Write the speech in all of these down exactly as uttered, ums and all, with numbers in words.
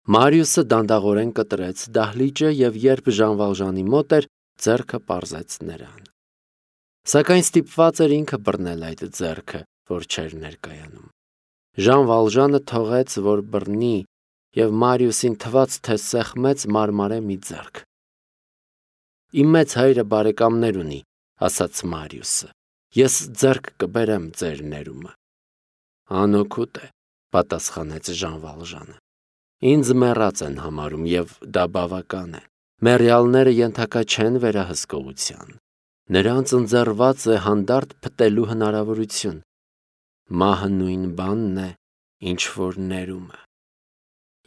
Մարիուսը դանդաղորեն կտրեց դահլիճը և երբ Ժան Վալժանի մոտ էր, ձեռքը պարզեց նրան։ Սակայն ստիպված էր ինքը բռնել այդ ձեռքը, որ չէր ներկայանում։ Ժան Վալժանը թողեց, որ բռնի, և Մարիուսին թվաց, թե սեղմեց մարմարե մի ձեռք։ Իմ մեծ հայրը բարեկամներ ունի, ասաց Մարիուսը, ես ձեռք կբերեմ ձեր ներումը։ Անօգուտ է, պատասխանեց Ժան Վալժանը։ Ինձ մեռած են համարում, և դա բավական է։ Մեռյալները ենթակա չեն վերահսկողության։ Նրանց ընձեռված է հանդարտ փտելու հնարավորություն։ Մահը նույն բանն է, ինչ որ ներումը։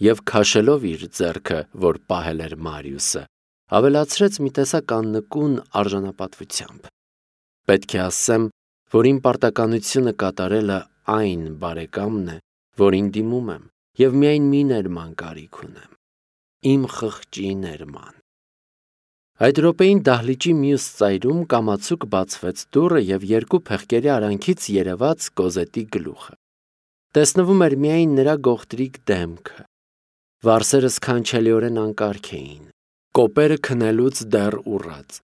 Եվ քաշելով իր ձեռքը, որ պահել էր Մարիուսը, ավելացրեց մի տեսակ աննկուն արժանապատվությամբ։ Պետք է ասեմ, որ իմ պարտականությունը կատարելը այն բարեկամն է, որին դիմում եմ, և միայն մի ներման կարիք ունեմ, իմ խղճի ներման։ Այդ րոպեին դահլիճի մյուս ծայրում կամացուկ բացվեց դուռը և երկու փեղկերի արանքից երևաց Կոզետի գլուխը։ Տեսնվում էր միայն նրա գողտրիկ դեմքը։ Վարսերը սքանչելիորեն անկարգ էին, կոպերը քնելուց դեռ ուռած։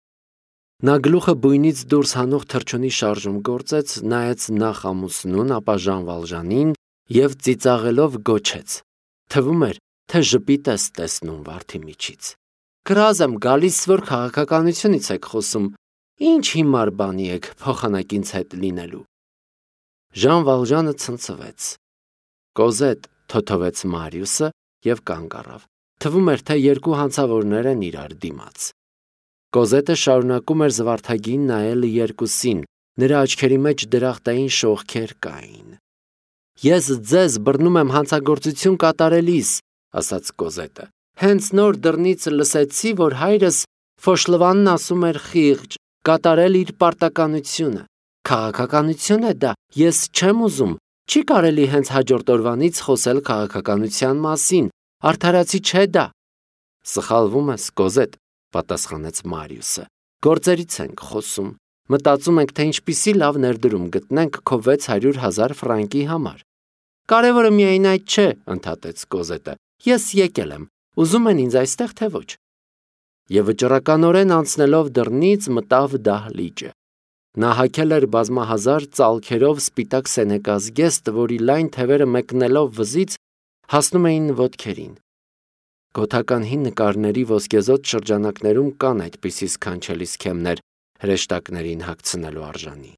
Նա գլուխը բույնից դուրս հանող թռչունի շարժում գործեց, նայեց նախ ամուսնուն, ապա Ժան Վալժանին և ծիծաղելով գոչեց. Թվում էր, թե ժպիտ ես տեսնում վարդի միջից։ Կռազ եմ գալիս, որ քաղաքականությունից եք խոսում, ինչ հիմար բանի եք փոխանակ ինձ հետ լինելու։ Ժան Վալժանը ցնցվեց։ Կոզետ, թոթվեց Մարիուսը և կանգ առավ։ Թվում էր, թե երկու հանցավորներ են իրար դիմաց։ Կոզետը շարունակում էր զվարթագին նայել երկուսին, նրա աչքերի մեջ դրախտային շողքեր կային։ Ես ձեզ բռնում եմ հանցագործություն կատարելիս, ասաց Կոզետը։ Հենց նոր դռնից լսեցի, որ հայրս Ֆոշլվանն ասում էր խիղճ, կատարել իր պարտականությունը։ Քաղաքականություն է դա, ես չեմ ուզում, չի կարելի հենց հաջորդ օրվանից խոսել քաղաքականության մասին, արդարացի չէ դա։ Սխալվում ես, Կոզետ, պատասխանեց Մարիուսը։ Գործերից ենք խոսում։ Մտածում ենք, թե ինչպիսի լավ ներդրում գտնենք քո վեց հարյուր հազար ֆրանկի համար։ Կարևորը միայն այդ չէ, ընդհատեց Կոզետը։ Ես եկել եմ, ուզում են ինձ այստեղ, թե ոչ։ Եվ վճռականորեն անցնելով դռնից մտավ դահլիճը։ Նա հագել էր բազմահազար ծալքերով սպիտակ սենեկազգեստ, որի լայն թևերը մեկնելով վզից հասնում էին ոտքերին։ Գոթական հին նկարների ոսկեզօծ շրջանակներում կան այդպիսի սքանչելի սքեմներ հրեշտակներին հագցնելու արժանի։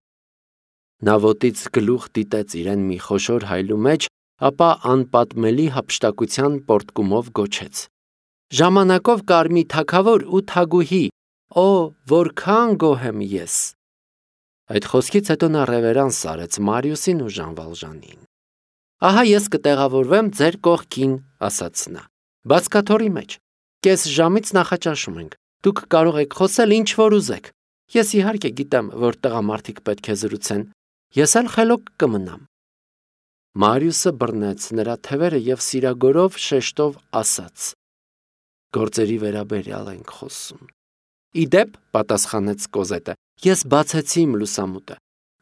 Նա ոտից գլուխ դիտեց իրեն մի խոշոր հայլու մեջ, ապա անպատմելի հափշտակության պոռթկումով գոչեց. Ժամանակով կար մի թագավոր ու թագուհի, օ, որքան գոհ եմ ես։ Այդ խոսքից հետո նա ռևերանս արեց Մարիուսին ու Ժան Վալժանին։ Ահա ես կտեղավորվեմ ձեր կողքին, ասաց նա, բացկաթոռի մեջ։ Կես ժամից նախաճաշում ենք, դուք կարող եք խոսել ինչ որ ուզեք։ Ես իհարկե գիտեմ, որ տղամարդիկ պետք է զրուցեն, ես էլ խելոք կմնամ։ Մարիուսը բռնեց նրա թևերը և սիրագորով շեշտով ասաց. Գործերի վերաբերյալ ենք խոսում։ Իդեպ, պատասխանեց Կոզետը, ես բացեցի իմ լուսամուտը։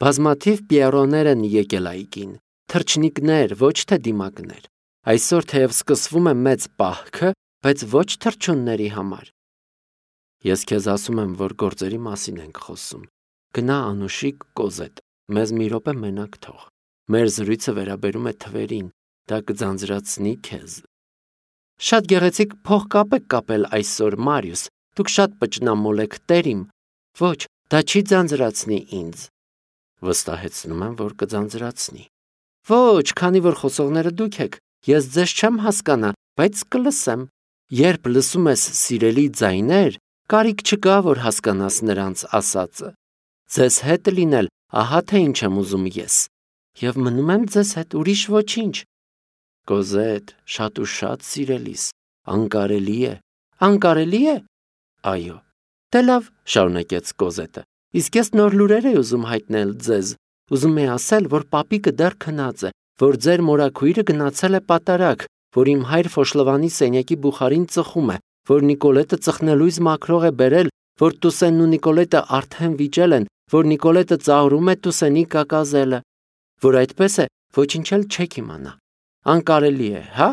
Բազմաթիվ պիերոներ են եկել այգին, թռչնիկներ, ոչ թե դիմակներ։ Այսօր թեև սկսվում է մեծ պահքը, բայց ոչ թռչունների համար։ Ես քեզ ասում եմ, որ գործերի մասին ենք խոսում։ Գնա անուշիկ Կոզետ, մեզ մի րոպե մենակ թող։ Մեր զրույցը վերաբերում է թվերին, դա կձանձրացնի քեզ։ Շատ գեղեցիկ փողկապ եք կապել այսօր, Մարիուս, դուք շատ պճնամոլ եք, տերիմ։ Ոչ, դա չի ձանձրացնի ինձ։ Վստահեցնում եմ, որ կձանձրացնի։ Ոչ, քանի որ խոսողները դուք եք, ես ձեզ չեմ հասկանա, բայց կլսեմ։ Երբ լսում ես սիրելի ձայներ, կարիք չկա, որ հասկանաս նրանց ասածը։ Ձեզ հետ լինել, ահա թե ինչ եմ ուզում ես։ Եվ մնում եմ ձեզ հետ, ուրիշ ոչինչ։ Կոզետ, շատ ու շատ սիրելիս, անկարելի է։ Անկարելի է։ Այո։ Դե լավ, շարունակեց Կոզետը։ Իսկ ես նոր լուրեր եմ ուզում հայտնել ձեզ։ Ուզում եմ ասել, որ պապիկը դեռ քնած է, որ ձեր մորաքույրը գնացել է պատարագ, որ իմ հայր Ֆոշլվանի սենյակի բուխարին ծխում է, որ Նիկոլետը ծխնելույզ մաքրող է բերել, որ Տուսենն ու Նիկոլետը արդեն վիճել են, որ Նիկոլետը ծաղրում է Տուսենի կակազելը, որ այդպես է, ոչինչ էլ չեք իմանա։ Անկարելի է, հա։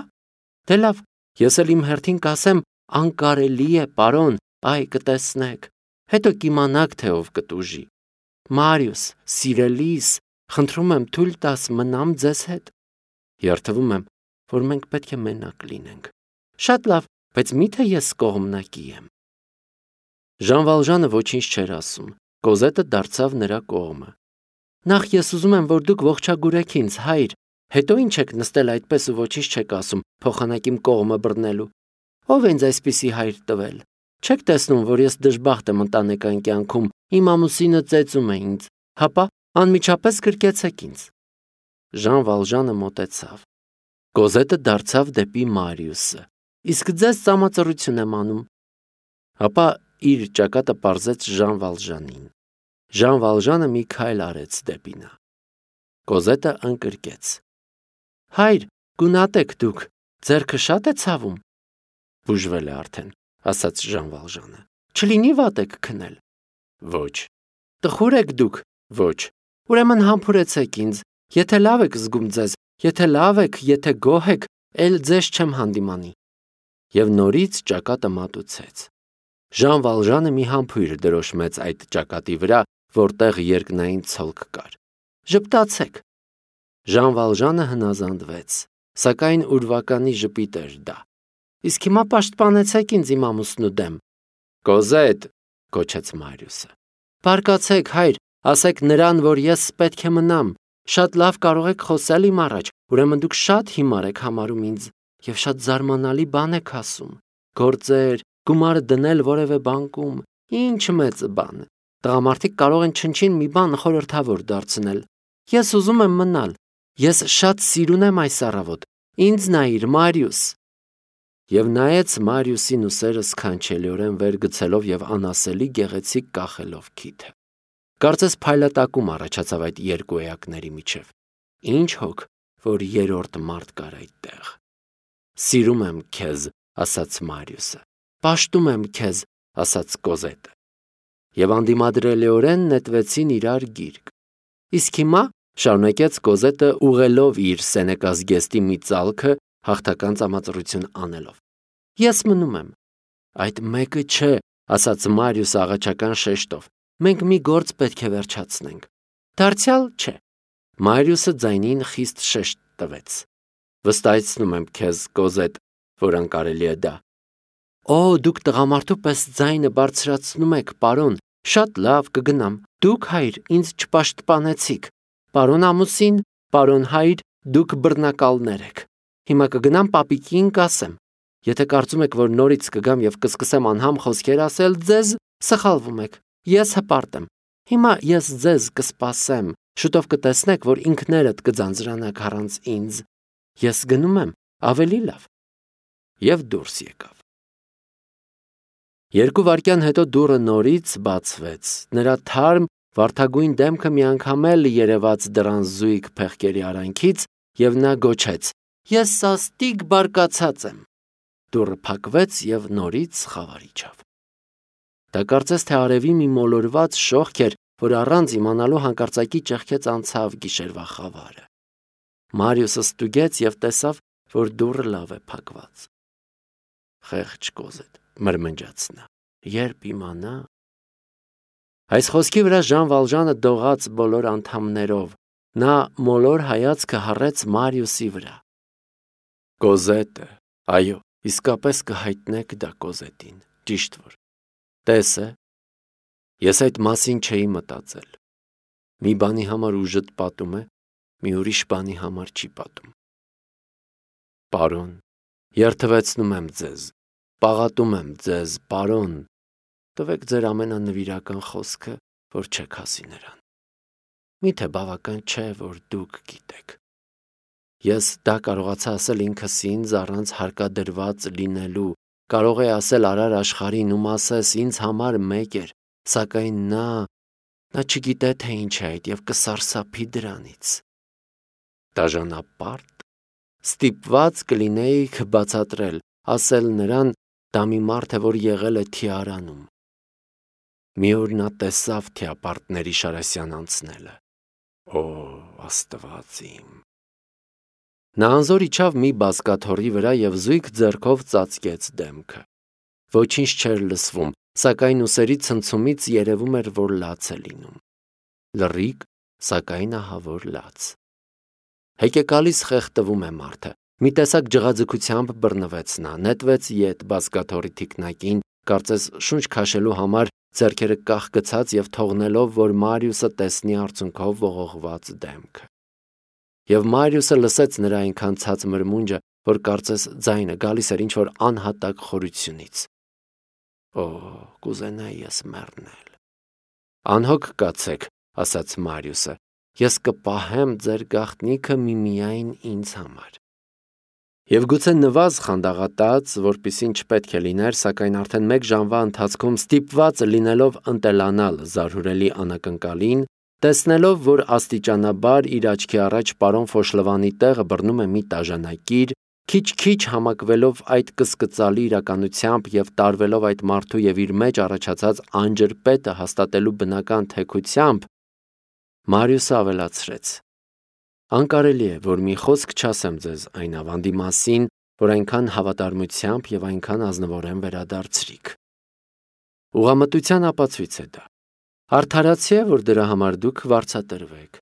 Դե լավ, Ես էլ իմ հերթին կասեմ, անկարելի է, պարոն, այ կտեսնեք, հետո կիմանաք, թե ով կտուժի։ Մարիուս, սիրելիս, խնդրում եմ թույլ տաս մնամ ձեզ հետ։ Երդվում եմ, որ մենք պետք է մենակ լինենք։ Շատ լավ, բայց միթե ես կողմնակի եմ։ Ժան Վալժանը ոչինչ չէր ասում, Կոզետը դարձավ նրա կողմը։ Նախ ես ուզում եմ, որ դուք ողջագուրեք ինձ, հայր, հետո ինչ եք նստել այդպես ու ոչինչ չեք ասում, փոխանակ իմ կողմը բռնելու։ Ո՞վ է ինձ այսպիսի հայր տվել։ Չեք տեսնում, որ ես դժբախտ եմ ընտանեկան կյանքում, իմ ամուսինը ծեծում է ինձ, հապա անմիջապես գրկեցեք ինձ։ Ժան Վալժանը մոտեցավ։ Կոզետը դարձավ դեպի Մարիուսը։ Իսկ ձեզ ծամածռություն եմ անում։ Հապա իր ճակատը պարզեց Ժան Վալժանին։ Ժան Վալժանը մի քայլ արեց դեպի նա։ Կոզետը ընկրկեց։ Հայր, գունատեք դուք, ձեռքը շատ է ցավում։ Բուժվել է արդեն, ասաց Ժան Վալժանը։ Չլինի վատ եք քնել։ Ոչ։ Տխուր եք դուք։ Ոչ։ Ուրեմն համբուրեցեք ինձ, եթե լավ եք զգում ձեզ, եթե լավ եք, եթե գոհ եք, էլ ձեզ չեմ հանդիմանի։ Եվ նորից ճակատը մատուցեց։ Ժան Վալժանը մի համբույր դրոշմեց այդ ճակատի վրա, որտեղ երկնային ցոլք կար։ Ժպտացեք։ Ժան Վալժանը հնազանդվեց, սակայն ուրվականի ժպիտ էր դա։ Իսկ հիմա պաշտպանեցեք ինձ իմ ամուսնու դեմ։ Կոզետ, գոչեց Մարիուսը։ Բարկացեք, հայր, ասեք նրան, որ ես պետք է մնամ։ Շատ լավ կարող եք խոսել իմ առաջ, ուրեմն դուք շատ հիմար եք համարում ինձ եւ շատ զարմանալի բան եք ասում։ Գործեր, գումար դնել որևէ բանկում, ինչ մեծ բան։ Տղամարդիկ կարող են չնչին մի բան խորհրդավոր դարձնել։ Ես ուզում եմ մնալ։ Ես շատ սիրուն եմ այս առավոտ։ Ինձ նայիր, Մարիուս։ Եվ նայեց Մարիուսին ուսերը սքանչելիորեն վեր գցելով եւ անասելի գեղեցիկ կախելով քիթը։ Կարծես փայլատակում առաջացավ այդ երկու էակների միջև։ Ինչ հոգ, որ երրորդ մարդ կար այդտեղ։ Սիրում եմ քեզ, ասաց Մարիուսը։ Պաշտում եմ քեզ, ասաց Կոզետը։ Եվ անդիմադրելիորեն նետվեցին իրար գիրկ։ Իսկ հիմա, շարունակեց Կոզետը ուղելով իր սենեկազգեստի մի ծալքը, հաղթական ծամածռություն անելով։ Ես մնում եմ։ Այդ մեկը չէ, ասաց Մարիուսը աղաչական շեշտով։ Մենք մի գործ պետք է վերջացնենք։ Դարձյալ չէ։ Մարիուսը ձայնին խիստ շեշտ տվեց։ Վստահեցնում եմ քեզ, Կոզետ, որ անկարելի է դա։ Օ, դուք տղամարդու պես ձայնը բարձրացնում եք, պարոն, շատ լավ կգնամ։ Դուք, հայր, ինձ չպաշտպանեցիք։ Պարոն ամուսին, պարոն հայր, դուք բռնակալներ եք։ Հիմա կգնամ պապիկին կասեմ։ Եթե կարծում եք, որ նորից կգամ եւ կսկսեմ անհամ խոսքեր ասել ձեզ, սխալվում եք։ Ես հպարտ եմ։ Հիմա ես ձեզ կսպասեմ։ Շուտով կտեսնեք, որ ինքներդ կձանձրանաք առանց ինձ։ Ես գնում եմ, ավելի լավ։ Եվ դուրս եկավ։ Երկու վայրկյան հետո դուռը նորից բացվեց։ Նրա թարմ, վարդագույն դեմքը միանգամ էլ երևաց դռան զույգ փեղկերի արանքից, եւ նա գոչեց. Ես սաստիկ բարկացած եմ։ Դուռը փակվեց եւ նորից խավար իջավ։ Դա կարծես թե արևի մի մոլորված շողք էր, որ առանց իմանալու հանկարծակի ճեղքեց անցավ գիշերվա խավարը։ Մարիուսը ստուգեց եւ տեսավ, որ դուռը լավ է փակված։ Խեղճ Կոզետ, մրմնջաց նա, երբ իմանա։ Այս խոսքի վրա Ժան Վալժանը դողաց բոլոր անդամներով։ Նա մոլոր հայացքը հառեց Մարիուսի վրա։ Կոզետը, այո, իսկապես կհայտնեք դա Կոզետին, ճիշտ որ։ Տեսը, ես այդ մասին չէի մտածել։ Մի բանի համար ուժդ պատում է, մի ուրիշ բանի համար չի պատում։ Պարոն, երդվեցնում եմ ձեզ, պաղատում եմ ձեզ, պարոն, տվեք ձեր ամենանվիրական խոսքը, որ չեք հասի նրան։ Միթե բավական չէ, որ դուք գիտեք։ Ես դա կարողացա ասել ինքս ինձ առանց հարկադրված լինելու, կարող է ասել արար աշխարհին ում ասես ինձ համար մեկ էր, սակայն նա, նա չգիտե թե ինչ է այդ եւ կսարսափի դրանից։ Դաժանապարտ, ստիպված կլինեիք բացատրել, ասել նրան, դա մի մարդ է, որ եղել է Թիարանում։ Մի օր նա տեսավ թիապարտների Շարասյան անցնելը։ Օ, Աստված իմ։ Նա անզոր իջավ մի բազկաթոռի վրա և զույգ ձեռքով ծածկեց դեմքը։ Ոչինչ չէր լսվում, սակայն ուսերի ցնցումից երևում էր, որ լաց է լինում։ Լռիկ, սակայն ահավոր լաց։ Հեկեկալիս խեղդվում է մարդը։ Մի տեսակ ջղաձգությամբ բռնվեց նա, նետվեց ետ բազկաթոռի թիկնակին, կարծես շունչ քաշելու համար ձեռքերը կախ գցած և թողնելով, որ Մարիուսը տեսնի արցունքով ողողված դեմքը։ Եվ Մարիուսը լսեց նրա այնքան ցած մրմունջը, որ կարծես ձայնը գալիս էր ինչ-որ անհատակ խորությունից։ Օ, կուզենայի ես մեռնել։ Անհոգ կացեք, ասաց Մարիուսը, ես կպահեմ ձեր գաղտնիքը միմիայն ինձ համար։ Եվ գուցե նվազ խանդաղատած, որպիսին չպետք է լիներ, սակայն արդեն մեկ ժամվա ընթացքում ստիպված լինելով ընտելանալ զարհուրելի անակնկալին, տեսնելով, որ աստիճանաբար իր աչքի առաջ պարոն Ֆոշլվանի տեղը բռնում է մի տաժանակիր, քիչ-քիչ համակվելով այդ կսկծալի իրականությամբ և տարվելով այդ մարդու և իր մեջ առաջացած անջրպետը հաստատելու բնական թեքությամբ, Մարիուսը ավելացրեց. անկարելի է, որ մի խոսք չասեմ ձեզ այն ավանդի մասին, որ այնքան հավատարմությամբ և այնքան ազնվորեն վերադարձրիք։ Ուղղամտության ապացույց է դա։ Արդարացի է, որ դրա համար դուք վարձատրվեք։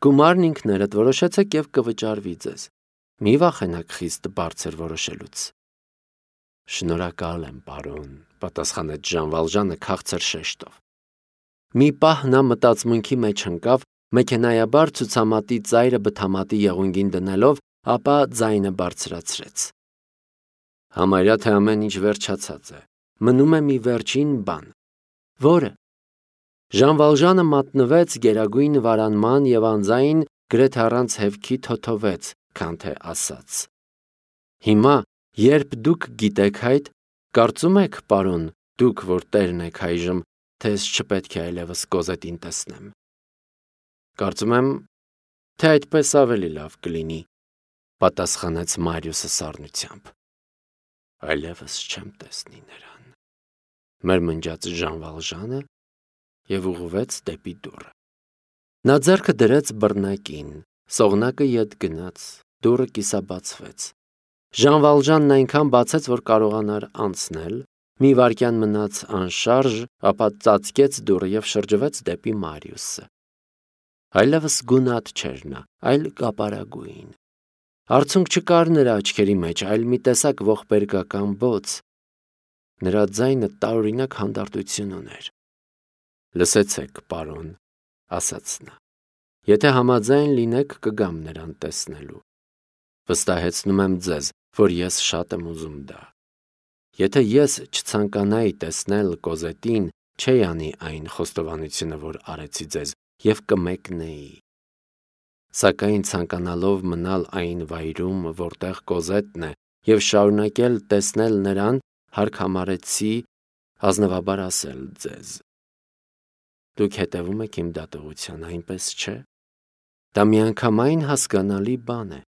Գումարն ինքներդ որոշեցեք և կվճարվի ձեզ։ Մի վախենաք խիստ բարձր որոշելուց։ Շնորհակալ եմ, պարոն, պատասխանեց Ժան Վալժանը քաղցր շեշտով։ Մի պահ նա մտածմունքի մեջ ընկավ, մեքենայաբար ցուցամատի ծայրը բթամատի եղունգին դնելով, ապա ձայնը բարձրացրեց։ Համարյա թե ամեն ինչ վերջացած է։ Մնում է մի վերջին բան։ Որը։ Ժան Վալժանը մատնվեց գերագույն վարանման և անձայն գրեթե առանց հևքի թոթովեց, քան թե ասաց. Հիմա, երբ դուք գիտեք այդ, կարծում եք, պարոն, դուք, որ տերն եք այժմ, թե ես չպետք է այլևս Կոզետին տեսնեմ։ Կարծում եմ, թե այդպես ավելի լավ կլինի, պատասխանեց Մարիուսը սառնությամբ։ Այլևս չեմ տեսնի նրան, մրմնջաց Ժան Վալժանը և ուղղվեց դեպի դուռը։ Նա ձեռքը դրեց բռնակին, սողնակը ետ գնաց, դուռը կիսաբացվեց։ Ժան Վալժանն այնքան բացեց, որ կարողանար անցնել, մի վայրկյան մնաց անշարժ, ապա ծածկեց դուռը և շրջվեց դեպի Մարիուսը։ Այլևս գունատ չէր նա, այլ կապարագույն։ Արցունք չկար նրա աչքերի մեջ, այլ մի տեսակ ողբերգական բոց։ Նրա ձայնը տարօրինակ հանդարտություն ուներ։ Լսեցեք, պարոն, ասաց նա, եթե համաձայն լինեք, կգամ նրան տեսնելու։ Վստահեցնում եմ ձեզ, որ ես շատ եմ ուզում դա։ Եթե ես չցանկանայի տեսնել Կոզետին, չէի անի այն խոստովանությունը, որ արեցի ձեզ, և կմեկնեի։ Սակայն ցանկանալով մնալ այն վայրում, որտեղ Կոզետն է, և շարունակել տեսնել նրան, հարկ համարեցի ազնվաբար ասել ձեզ։ Դուք հետևում եք իմ դատողության, այնպես չէ։ Դա միանգամայն հասկանալի բան է։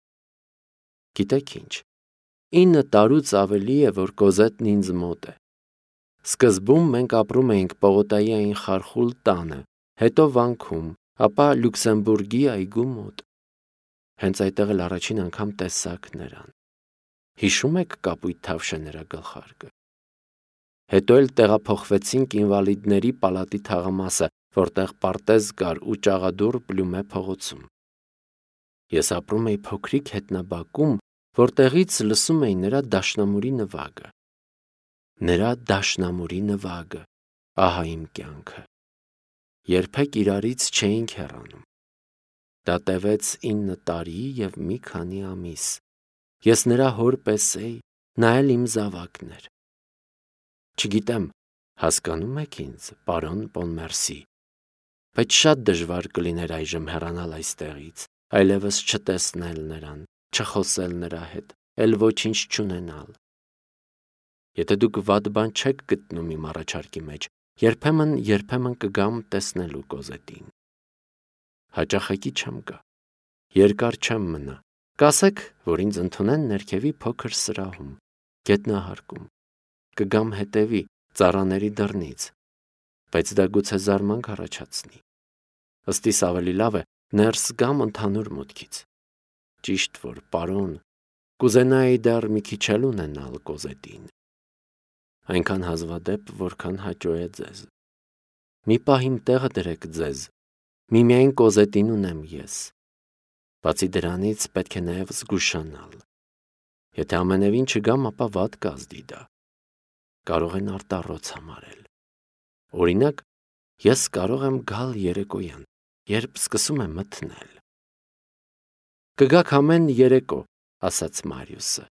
Գիտեք ինչ, ինը տարուց ավելի է, որ Կոզետն ինձ մոտ է։ Սկզբում մենք ապրում էինք Պողոտայի այն խարխուլ տանը, հետո վանքում, ապա Լյուքսեմբուրգի այգու մոտ։ Հենց այդտեղ էլ առաջին անգամ տեսաք նրան։ Հիշում եք կապույտ թավշե նրա գլխարկը։ Հետո էլ տեղափոխվեցինք ինվալիդների պալատի թաղամասը, որտեղ պարտեզ կար ու ճաղադուռ Պլյումե փողոցում։ Ես ապրում էի փոքրիկ հետնաբակում, որտեղից լսում էի նրա դաշնամուրի նվագը։ Նրա դաշնամուրի նվագը, ահա իմ կյանքը։ Երբեք իրարից չէինք հեռանում։ Դա տևեց ինը տարի և մի քանի ամիս։ Ես նրա հոր պես էի, նա էլ իմ զավակն էր։ Չգիտեմ, հասկանո՞ւմ եք ինձ, պարոն Պոնմերսի, բայց շատ դժվար կլիներ այժմ հեռանալ այստեղից, այլևս չտեսնել նրան, չխոսել նրա հետ, էլ ոչինչ չունենալ։ Եթե դուք վատ բան չեք գտնում իմ առաջարկի մեջ, երբեմն-երբեմն կգամ տեսնելու Կոզետին։ Հաճախակի չեմ գա, երկար չեմ մնա, կասեք, որ ինձ ընդունեն ներքևի փոքր սրահում, գետնահարկում, կգամ հետևի, ծառաների դռնից, բայց դա գուցե զարմանք առաջացնի։ Ըստիս ավելի լավ է ներս գամ ընդհանուր մուտքից։ Ճիշտ որ, պարոն, կուզենայի դեռ մի քիչ էլ ունենալ Կոզետին։ Այնքան հազվադեպ, որքան հաճո է ձեզ։ Մի պահ իմ տեղը դրեք ձեզ, միմիայն Կոզետին ունեմ ես։ Բացի դրանից պետք է նաև զգուշանալ։ Եթե ամենևին չգամ, ապա վատ կազդի դա։ Կարող են արտառոց համարել։ Օրինակ, ես կարող եմ գալ երեկոյան, երբ սկսում եմ մթնել։ Կգաք ամեն երեկո, ասաց Մարիուսը,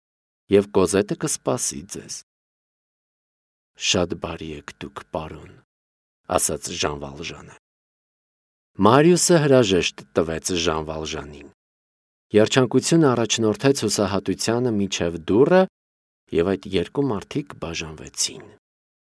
և Կոզետը կսպասի ձեզ։ Շատ բարի եք դուք, պարոն, ասաց Ժան Վալժանը։ Մարիուսը հրաժեշտ տվեց Ժան Վալժանին։ Երջանկությունը առաջնորդեց հուսահատությանը մինչև դուռը, և այդ երկու մարդիկ բաժանվեցին։